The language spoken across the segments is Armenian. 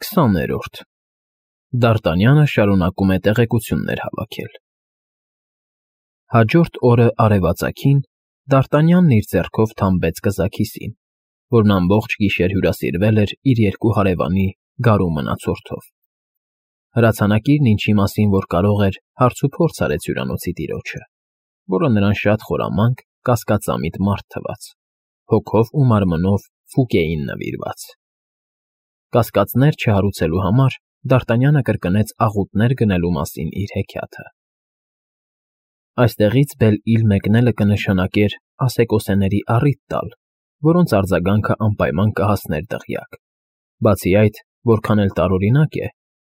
20-րդ Դարտանյանը շարունակում է տեղեկություններ հավաքել։ Հաջորդ օրը արևածագին Դարտանյանն իր ձեռքով թամբեց կզաքիսին, որն ամբողջ գիշեր հյուրասիրվել էր իր երկու հարևանի գարու մնացորդով։ Հրացանակիրն ինչի մասին որ կարող էր, հարցուփորձ արեց հյուրանոցի տիրոջը, որը նրան շատ խորամանկ, կասկածամիտ մարդ թվաց, հոգով ու մարմնով ֆուկ էին նվիրված։ Կասկածներ չհարուցելու համար Դարտանյանը կրկնեց աղուտներ գնելու մասին իր հեքիաթը։ Այստեղից Բել֊Իլ մեկնելը կնշանակեր ասեկոսեների առիթ տալ, որոնց արձագանքը անպայման կհասներ դղյակ։ Բացի այդ, որքան էլ տարօրինակ է,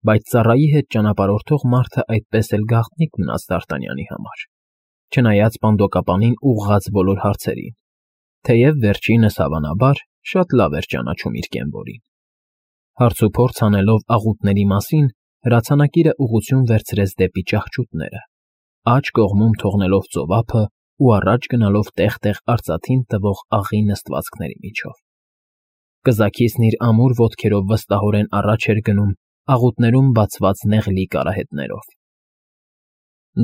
բայց ծառայի հետ ճանապարհորդող մարդը այդպես էլ գաղտնիք մնաց Դարտանյանի համար, չնայած պանդոկապանին ուղղած բոլոր հարցերին, թեև վերջինս, հավանաբար, շատ լավ էր ճանաչում իր կենվորին։ Հարցուփորձ անելով աղուտների մասին, հրացանակիրը ուղղություն վերցրեց դեպի ճահճուտները, աջ կողմում թողնելով ծովափը ու առաջ գնալով տեղ֊տեղ արծաթին տվող աղի նստվածքների միջով։ Կզաքիսն իր ամուր ոտքերով վստահորեն առաջ էր գնում աղուտներում բացված նեղլիկ արահետներով։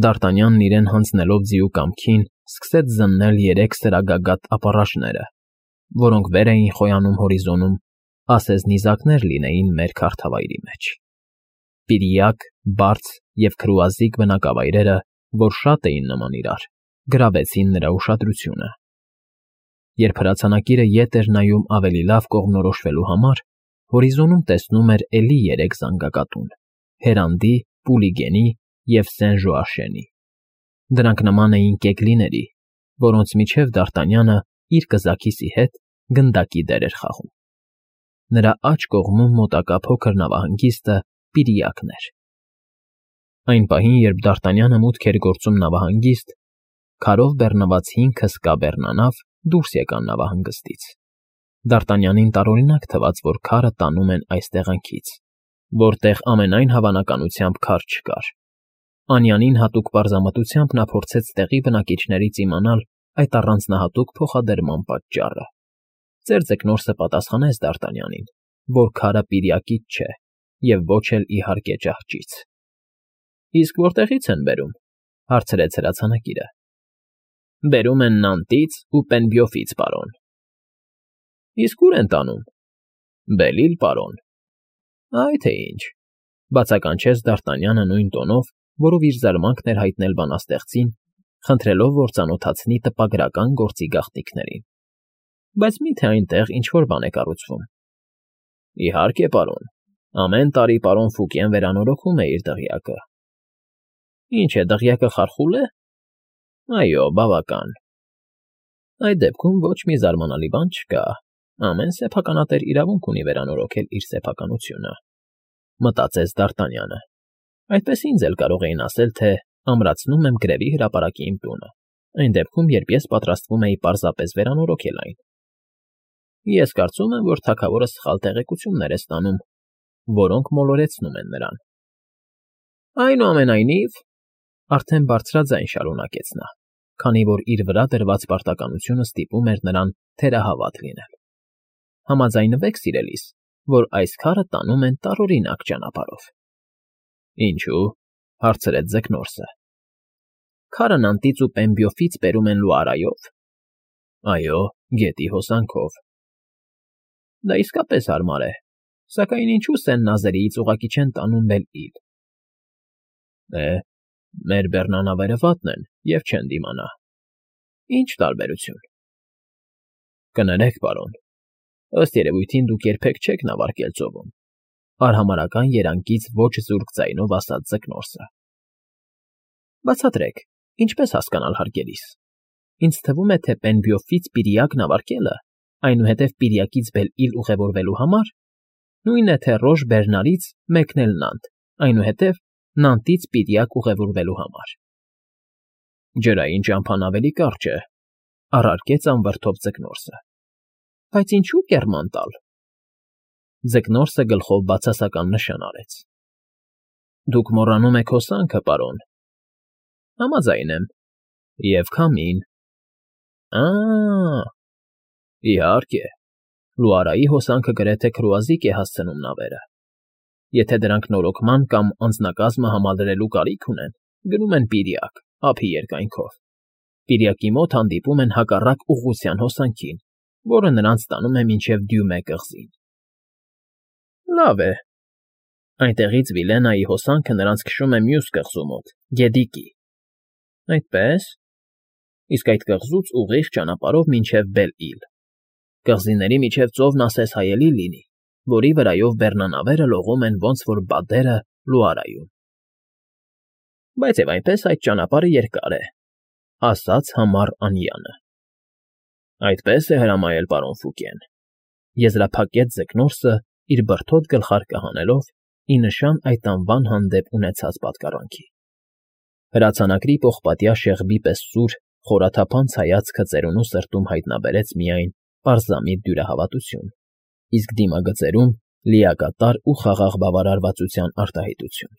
Դարտանյանն իրեն հանձնելով ձիու կամքին, սկսեց զննել 3 սրագագաթ ապառաշները, որոնք վեր էին խոյանում հորիզոնում, ասես նիզակներ լինեին մեր քարթավայրի մեջ։ Պիրիակ, բարձ և քրուազիկ բնակավայրերը, որ շատ էին նման իրար, գրավեցին նրա ուշադրությունը։ Երբ հրացանակիրը ետ էր նայում ավելի լավ կողմնորոշվելու համար, հորիզոնում տեսնում էր էլի 3 զանգակատուն՝ Հերանդի, Պուլիգենի և Սեն֊Ժոաշենի։ Դրանք նման էին կեքլիների, որոնց միջև Դարտանյանը իր կզաքիսի հետ գնդակի դեր էր խաղում։ Նրա աջ կողմում մոտակա փոքր նավահանգիստը Պիրիակն էր։ Այն պահին, երբ Դարտանյանը մուտք էր գործում նավահանգիստ, քարով բեռնված 5 հսկա բեռնանավ դուրս եկան նավահանգստից։ Դարտանյանին տարօրինակ թվաց, որ քարը տանում են այս տեղանքից, որտեղ ամենայն հավանականությամբ քար չկար։ Անյանին հատուկ պարզամտությամբ նա փորձեց տեղի բնակիչներից իմանալ այդ առանձնահատուկ փոխադրման պատճառը։ Ծեր Ձկնորսը պատասխանեց Դարտանյանին, որ քարը Պիրիակից չէ և ոչ էլ իհարկե ճահճից։ Իսկ որտեղի՞ց են բերում, հարցրեց հրացանակիրը։ Բերում են Նանտից ու Պենբյոֆից, պարոն։ Իսկ ո՞ւր են տանում։ Բել֊Իլ, պարոն։ Այ թե ինչ, բացականչեց Դարտանյանը նույն տոնով, որով իր զարմանքն էր հայտնել բանաստեղծին, խնդրելով, որ ծանոթացնի տպագրական գործի գաղտնիքներին։ Բայց մի՞թե այնտեղ ինչ֊որ բան է կառուցվում։ Իհարկե, պարոն, ամեն տարի պարոն Ֆուկեն վերանորոգում է իր դղյակը։ Ինչ է, դղյակը խարխուլ է։ Այո, բավական։ Այդ դեպքում ոչ մի զարմանալի բան չկա, ամեն սեփականատեր իրավունք ունի վերանորոգել իր սեփականությունը, մտածեց Դարտանյանը։ Այդպես ինձ էլ կարող էին ասել, թե ամրացնում եմ գրևի հրապարակի իմ տունը, այն դեպքում, երբ ես պատրաստվում էի պարզապես վերանորոգել այն։ Ես կարծում եմ, որ թագավորը սխալ տեղեկություններ է ստանում, որոնք մոլորեցնում են նրան։ Այնուամենայնիվ, արդեն բարձրաձայն շարունակեց նա, քանի որ իր վրա դրված պարտականությունը ստիպում էր նրան թերահավատ լինել։ Համաձայնվեք, սիրելիս, որ այս քարը տանում են տարօրինակ ճանապարհով։ Ինչու՞, հարցրեց Ձկնորսը։ Քարը Նանտից ու Պենբյոֆից բերում են Լուարայով։ Այո, գետի հոսանքով։ Դա իսկապես հարմար է, սակայն ինչու Սեն֊Նազերիից ուղղակի չեն տանում Բել֊Իլ։ Մեր բեռնանավերը վատն են և չեն դիմանա։ Ինչ տարբերություն։ Կներեք, պարոն, ըստ երևույթին դուք երբեք չեք նավարկել ծովում, արհամարհական երանգից ոչ զուրկ ձայնով ասաց Ձկնորսը։ Բացատրեք, ինչպես հասկանալ հարգելիս։ Ինձ թվում է, թե Պենբյոֆից Պիրիակ նավարկելը, այնուհետև Պիրիակից Բել-Իլ ուղևորվելու համար, նույնն է, թե Ռոժ Բերնարից մեկնել Նանտ, այնուհետև Նանտից Պիրիակ ուղևորվելու համար։ Ջրային ճամփան ավելի կարճ է, առարկեց անվրդով Ձկնորսը։ Բայց ինչու կեռման տալ։ Ձկնորսը գլխով բացասական նշան արեց։ Դուք մոռանում եք հոսանքը, պարոն։ Համաձայն եմ։ Եվ քամին։ Իհարկե, Լուարայի հոսանքը գրեթե քրուազիկ է հասցնում նավերը։ Եթե դրանք նորոգման կամ անձնակազմը համալրելու կարիք ունեն, գնում են Պիրիակ, ափի երկայնքով։ Պիրիակի մոտ հանդիպում են հակառակ ուղղության հոսանքին, որը նրանց տանում է մինչև Դյումե կղզին։ Լավ է։ Այնտեղից Վիլենայի հոսանքը նրանց քշում է մյուս կղզու մոտ, Գետիկի։ Այդպե՞ս։ Իսկ այդ կղզուց ուղիղ ճանապարհով մինչև Բել֊Իլ։ Կղզիների միջև ծովն ասես հայելի լինի, որի վրայով բեռնանավերը լողում են ոնց որ բադերը Լուարայում։ Բայց եւ այնպես այդ ճանապարհը երկար է, ասաց համառ Անյանը։ Այդպես է հրամայել պարոն Ֆուկեն։ Եզրափակեց Ձկնորսը իր բրդոտ գլխարկը հանելով ի նշան այդ անվան հանդեպ ունեցած պատկառանքի։ Հրացանակրի պողպատյա շեղբի պես սուր, խորաթափանց հայացքը ծերունու սրտում հայտնաբերեց միայն պարզամիտ դյուրահավատություն, իսկ դիմագծերում լիակատար ու խաղաղ բավարարվածության արտահայտություն։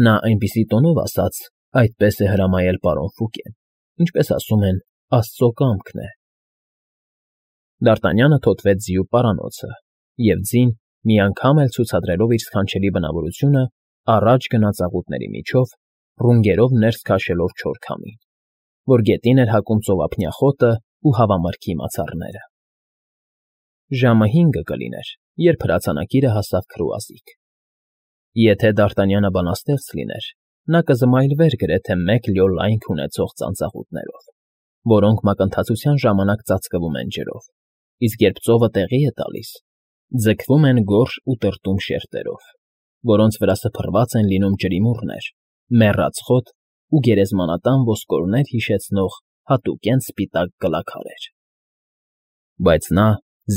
Նա այնպիսի տոնով ասաց, այդպես է հրամայել պարոն Ֆուկեն, ինչպես ասում են, Աստծո կամքն է։ Դ'Արտանյանը թոթվեց ձիու պարանոցը, և ձին, մի անգամ էլ ցուցադրելով իր սքանչելի բնավորությունը, առաջ գնաց աղուտների միջով, ռունգերով ներս քաշելով չոր քամին, որ գետին էր հակում ծովափնյա խոտը ու հավամրգի մացառները։ Ժամը 5 կլիներ, երբ հրացանակիրը հասավ քրուազիկ։ Եթե Դ'Արտանյանը բանաստեղծ լիներ, նա կզմայլվեր գրեթե 1 լյո լայնք ունեցող ծանծաղուտներով, որոնք մակընթացության ժամանակ ծածկվում են ջրով, իսկ երբ ծովը տեղի է տալիս, ձգվում են գորշ ու տրտում շերտերով, որոնց վրա սփռված են լինում ջրիմուռներ, մեռած խոտ ու գերեզմանատան ոսկորներ հիշեցնող հատուկենտ սպիտակ կլաքարեր։ Բայց նա,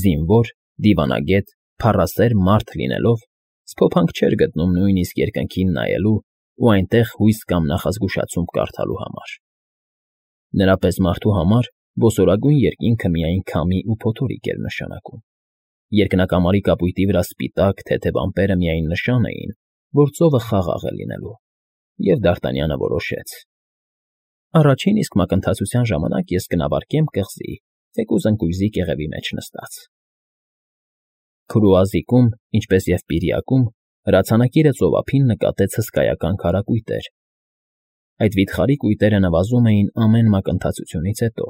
զինվոր, դիվանագետ, փառասեր մարդ լինելով, սփոփանք չէր գտնում նույնիսկ երկնքին նայելու ու այնտեղ հույս կամ նախազգուշացում կարդալու համար։ Նրա պես մարդու համար ոսորագույն երկինքը միայն քամի ու փոթորիկ էր նշանակում։ Երկնակամարի կապույտի վրա սպիտակ, թեթև ամպերը միայն նշան էին, որ ծովը խաղաղ է լինելու, և Դ'Արտանյանը որոշեց. առաջին իսկ մակընթացության ժամանակ ես կնավարկեմ կղզի, թեկուզ ընկույզի կեղևի մեջ նստած։ Քրուազիկում, ինչպես և Պիրիակում, հրացանակիրը ծովափին նկատեց հսկայական քարակույտեր։ Այդ վիթխարի կույտերը նվազում էին ամեն մակընթացությունից հետո,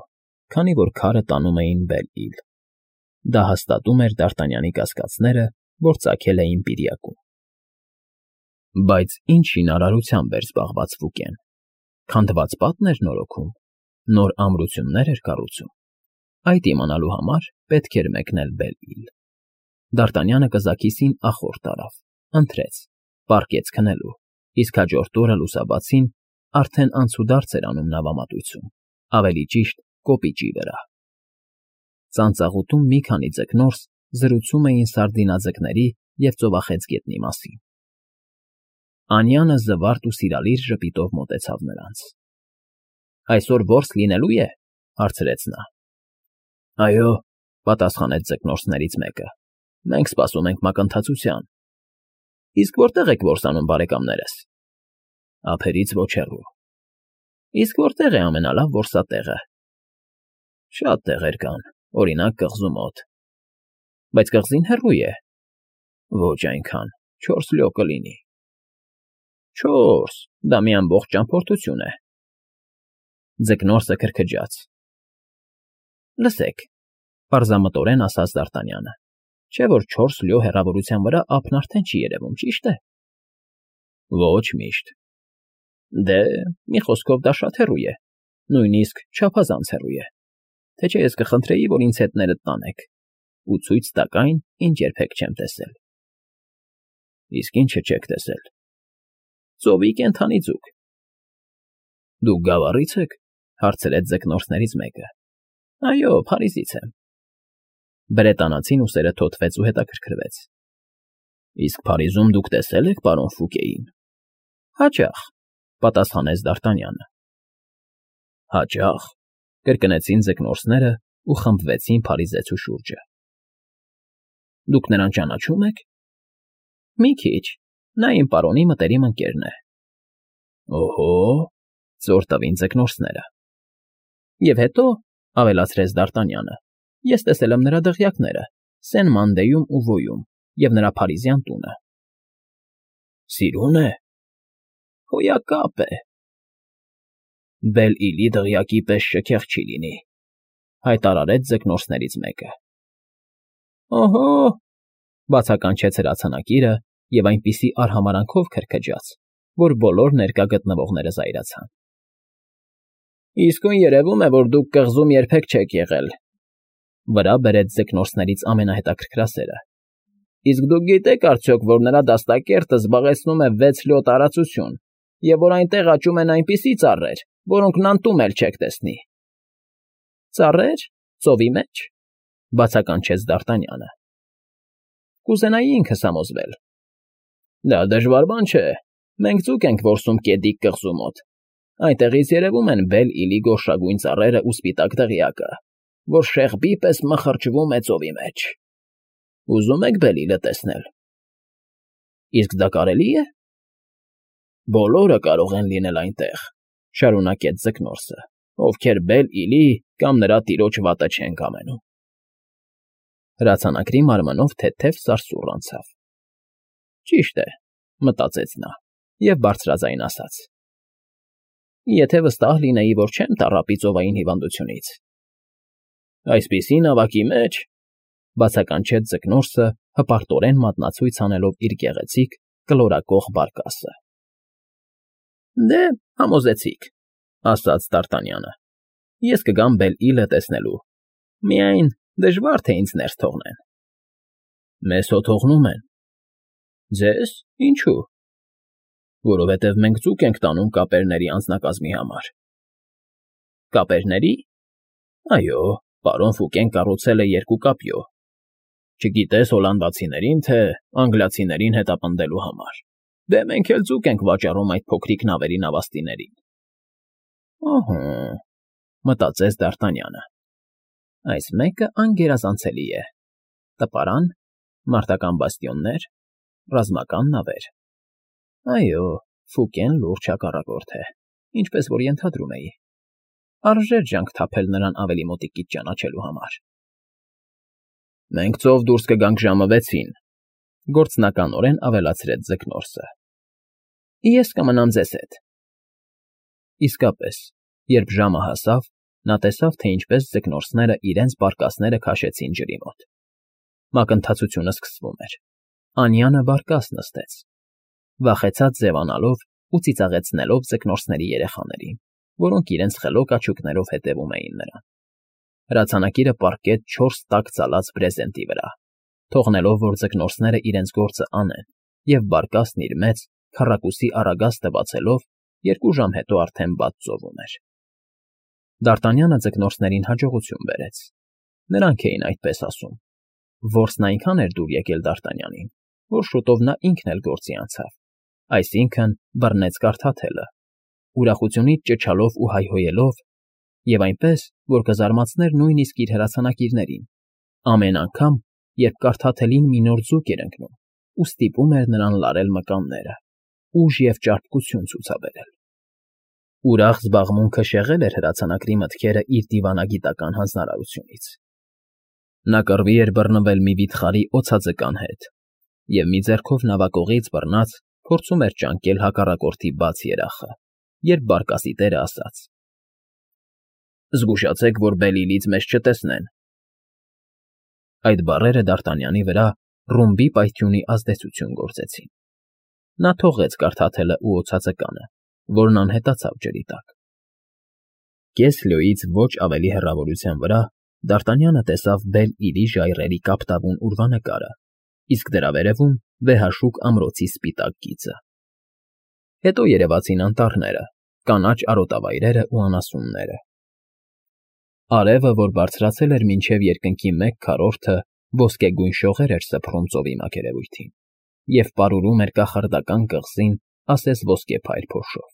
քանի որ քարը տանում էին Բել֊Իլ։ Դա հաստատում էր Դ'Արտանյանի կասկածները, որ ծագել էին Պիրիակում։ Բայց ինչ շինարարությամբ էր զբաղված Ֆուկեն։ Քանդված պատն էր նորոգում, նոր ամրություններ էր կառուցում։ Այդ իմանալու համար պետք էր մեկնել Բել֊Իլ։ Դ'Արտանյանը կզաքիսին ախորդ արավ, ընթրեց, պառկեց քնելու, իսկ հաջորդ օրը լուսաբացին արդեն անցուդարձ էր անում նավամատույցում, ավելի ճիշտ կոպիճի վրա։ Ծանծաղուտում մի քանի ձկնորս զրուցում էին սարդինաձկների և ծովախեցգետնի մասին։ Անյանը զվարթ ու սիրալիր ժպիտով մոտեցավ նրանց։ Այսօր որս լինելու է, հարցրեց նա։ Այո, պատասխանեց ձկնորսներից մեկը, մենք սպասում ենք մակընթացության։ Իսկ որտե՞ղ եք որս անում, բարեկամներս։ Ափերից ոչ հեռու։ Իսկ որտե՞ղ է ամենալավ որսատեղը։ Շատ տեղեր կան, օրինակ կղզու մոտ։ Բայց կղզին հեռու է։ Ոչ այնքան, 4 լյո կլինի։ 4, դա մի ամբողջ ճամփորդություն է։ Ձկնորսը քրքջաց։ Լսեք, պարզամտորեն ասաց Դ'Արտանյանը, չէ՞ որ 4 լյո հեռավորության վրա ափն արդեն չի երևում, ճիշտ է։ Ոչ միշտ։ Դե, մի խոսքով դա շատ հեռու է, նույնիսկ չափազանց հեռու է, թե չէ ես կխնդրեի, որ ինձ հետներդ տանեք ու ցույց տաք այն, ինչ երբեք չեմ տեսել։ Իսկ ինչը չեք տեսել։ Ծովի կենդանի ձուկ։ Դուք Գավառի՞ց եք, հարցրեց ձկնորսներից մեկը։ Այո, Փարիզից եմ։ Բրետանացին ուսերը թոթվեց ու հետաքրքրվեց։ Իսկ Փարիզում դուք տեսել եք պարոն Ֆուկեին։ Հաճախ, պատասխանեց Դ'Արտանյանը։ Հաճախ, կրկնեցին ձկնորսները ու խմբվեցին Փարիզեցու շուրջը։ Դուք նրան ճանաչում եք։ Մի քիչ, նա իմ պարոնի մտերիմ ընկերն է։ Օհո, ծոր տվին ձկնորսները։ Եվ հետո, ավելացրեց Դ'Արտանյանը, ես տեսել եմ նրա դղյակները Սեն֊Մանդեյում ու Վոյում և նրա փարիզյան տունը։ Սիրուն է։ Հոյակապ է։ Բել֊Իլի դղյակի պես շքեղ չի լինի, հայտարարեց ձկնորսներից մեկը։ Օհո, բացականչեց հրացանակիրը և այնպիսի արհամարանքով քրքջաց, որ բոլոր ներկա գտնվողները զայրացան։ Իսկույն երևում է, որ դուք կղզում երբեք չեք եղել, վրա բերեց ձկնորսներից ամենահետաքրքրասերը։ Իսկ դուք գիտեք արդյոք, որ նրա դաստակերտը զբաղեցնում է 6 լյոտ տարածություն, և որ այնտեղ աճում են այնպիսի ծառեր, որոնք նանտում էլ չեք տեսնի։ Ծառեր, ծովի մեջ, բացականչեց Դ'Արտանյանը։ Կուզենայի ինքս համոզվել։ Դա դժվար բան չէ։ Մենք ձուկ ենք որսում Կեդիկ կղզու մոտ։ Այնտեղից երևում են Բել֊Իլի գորշագույն ծառերը ու սպիտակ դղյակը, որ շեղբի պես մխրճվում է ծովի մեջ։ Ուզում եք Բել֊Իլը տեսնել։ Իսկ դա կարելի է։ Բոլորը կարող են լինել այնտեղ, շարունակեց ձկնորսը, ովքեր Բել֊Իլի կամ նրա տիրոջ վատը չեն կամենում։ Հրացանակրի մարմնով թեթև սարսուռ անցավ։ Ճիշտ է, մտածեց նա, և բարձրաձայն ասաց. Եթե վստահ լինեի, որ չեմ տառապի ծովային հիվանդությունից։ Այսպիսի նավակի մեջ, բացականչեց ձկնորսը, հպարտորեն մատնացույց անելով իր գեղեցիկ, կլորակող բարկասը։ Դե, համոզեցիք, ասաց Դ'Արտանյանը։ Ես կգամ Բել֊Իլը տեսնելու։ Միայն դժվար թե ինձ ներս թողնեն։ Մեզ հո թողնում են։ Ձեզ, ինչու։ Որովհետև մենք ձուկ ենք տանում կապերների անձնակազմի համար։ Կապերների։ Այո, պարոն Ֆուկեն կառուցել է 2 կապյո։ Չգիտես հոլանդացիներին, թե անգլիացիներին հետապնդելու համար։ Դե մենք էլ ձուկ ենք վաճառում այդ փոքրիկ նավերի նավաստիներին։ Ահա, մտածեց Դ'Արտանյանը։ Այս մեկը անգերազանցելի է։ Տպարան, մարտական բաստիոններ, ռազմական նավեր։ Այո, Ֆուկեն լուրջ հակառակորդ է, ինչպես որ ենթադրում էի։ Արժեր ջանք թափել նրան ավելի մոտիկից ճանաչելու համար։ Մենք ծով դուրս կգանք ժամը 6-ին, գործնականորեն ավելացրեց ձկնորսը։ Ես կմնամ ձեզ հետ։ Իսկապես, երբ ժամը հասավ, նա տեսավ, թե ինչպես ձկնորսները իրենց բարկասները քաշեցին ջրի մոտ։ Մակընթացությունը սկսվում էր։ Անյանը բարկաս նստեց, վախեցած ձևանալով ու ծիծաղեցնելով ձկնորսների երեխաներին, որոնք իրենց խելոք աչուկներով հետևում էին նրան։ Հրացանակիրը պառկեց 4 տաք ծալած բրեզենտի վրա, թողնելով, որ ձկնորսները իրենց գործը անեն, և բարկասն իր մեծ, քառակուսի առագաստը բացելով 2 ժամ հետո արդեն բաց ծովում էր։ Դ'Արտանյանը ձկնորսներին հաջողություն բերեց։ Նրանք էին այդպես ասում։ Որսն այնքան էր դուր եկել Դ'Արտանյանին, որ շուտով նա ինքն էլ գործի անցավ, այսինքն բռնեց կարդաթելը, ուրախությունից ճչալով ու հայհոյելով, և այնպես, որ կզարմացներ նույնիսկ իր հրացանակիրներին, ամեն անգամ, երբ կարդաթելին մի նոր ձուկ էր ընկնում ու ստիպում էր նրան լարել մկանները, ուժ և ճարպկություն ցուցաբերել։ Ուրախ զբաղմունքը շեղել էր հրացանակրի մտքերը իր դիվանագիտական հանձնարարությունից։ Նա կռվի էր բռնվել մի վիթխարի օձաձկան հետ, և մի ձեռքով նավակողից բռնած փորձում էր ճանկել հակառակորդի բաց երախը, երբ բարկասի տերը ասաց. Զգուշացեք, որ Բել֊Իլից մեզ չտեսնեն։ Այդ բառերը Դ'Արտանյանի վրա ռումբի պայթյունի ազդեցություն գործեցին։ Նա թողեց կարդաթելը ու օձաձկանը, որն անհետացավ ջրի տակ։ Կես լյոյից ոչ ավելի հեռավորության վրա Դ'Արտանյանը տեսավ Բել֊Իլի ժայռերի կապտավուն ուրվանկարը, իսկ դրա վերևում վեհաշուկ ամրոցի սպիտակ գիծը։ Հետո երևացին անտառները, կանաչ արոտավայրերը ու անասունները։ Արևը, որ բարձրացել էր մինչև երկնքի 1/4, ոսկեգույն շողեր էր սփռում ծովի մակերևույթին և պարուրում էր կախարդական կղզին ասես ոսկեփայլ փոշով։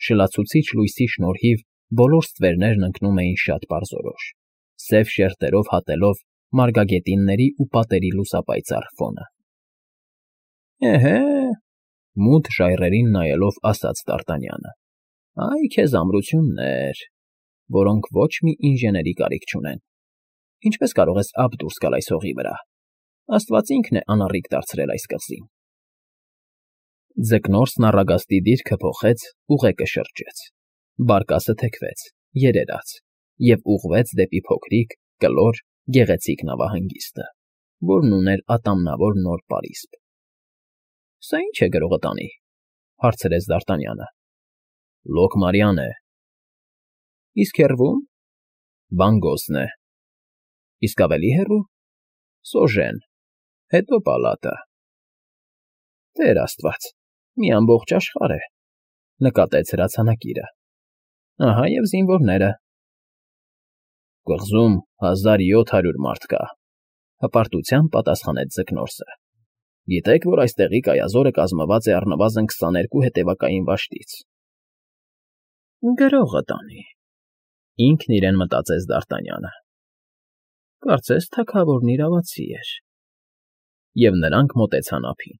Շլացուցիչ լույսի շնորհիվ բոլոր ստվերներն ընկնում էին շատ պարզորոշ, սև շերտերով հատելով մարգագետինների ու պատերի լուսապայծառ ֆոնը։ Էհե, մութ ժայռերին նայելով ասաց Դ'Արտանյանը, այ քեզ ամրություններ, որոնք ոչ մի ինժեների կարիք չունեն։ Ինչպես կարող ես ափ դուրս գալ այս հողի վրա։ Աստված ինքն է անառիկ դարձրել այս կղզին։ Ձկնորսն առագաստի դիրքը փոխեց, ուղեկը շրջեց, բարկասը թեքվեց, երերաց և ուղղվեց դեպի փոքրիկ, կլոր, գեղեցիկ նավահանգիստը, որն ուներ ատամնավոր նոր պարիսպ։ ֊ Սա ի՞նչ է գրողը տանի,֊ հարցրեց Դ'Արտանյանը։ ֊ Լոկմարյան է։ ֊ Իսկ հեռվո՞ւմ։ ֊ Բանգոսն է։ ֊ Իսկ ավելի հեռո՞ւ։ ֊ Սոժեն, հետո պալատը։ ֊ Տեր աստված, մի ամբողջ աշխարհ է,֊ նկատեց հրացանակիրը։ ֊ Ահա և զինվորները։ ֊ Կղզում 1700 մարդ կա,֊ հպարտությամբ պատասխանեց ձկնորսը։ ֊ Գիտեք, որ այստեղի կայազորը կազմված է առնվազն 22 հետևակային վաշտից։ ֊ Գրողը տանի,֊ ինքն իրեն մտածեց Դ'Արտանյանը։ Կարծես թագավորն իրավացի էր։ Եվ նրանք մոտեցան ափին։